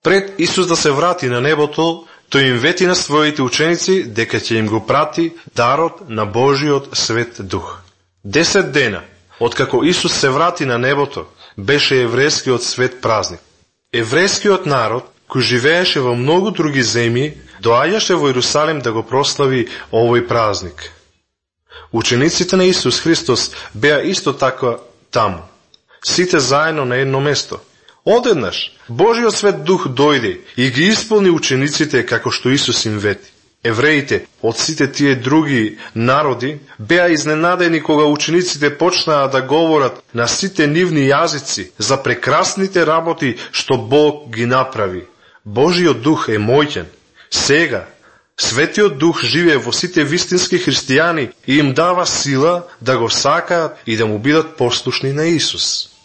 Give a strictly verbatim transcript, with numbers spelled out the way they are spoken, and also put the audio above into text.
Пред Исус да се врати на небото, тој им вети на своите ученици дека ќе им го прати дарот на Божиот Свет Дух. Десет дена, откако Исус се врати на небото, беше еврејскиот свет празник. Еврејскиот народ, кој живееше во многу други земји, доаѓаше во Иерусалим да го прослави овој празник. Учениците на Исус Христос беа исто така таму, сите заедно на едно место. Одеднаш, Божиот Свет Дух дојде и ги исполни учениците како што Исус им вети. Евреите од сите тие други народи беа изненадени кога учениците почнаа да говорат на сите нивни јазици за прекрасните работи што Бог ги направи. Божиот Дух е моќен. Сега, Светиот Дух живее во сите вистински христијани и им дава сила да го сакаат и да му бидат послушни на Исус.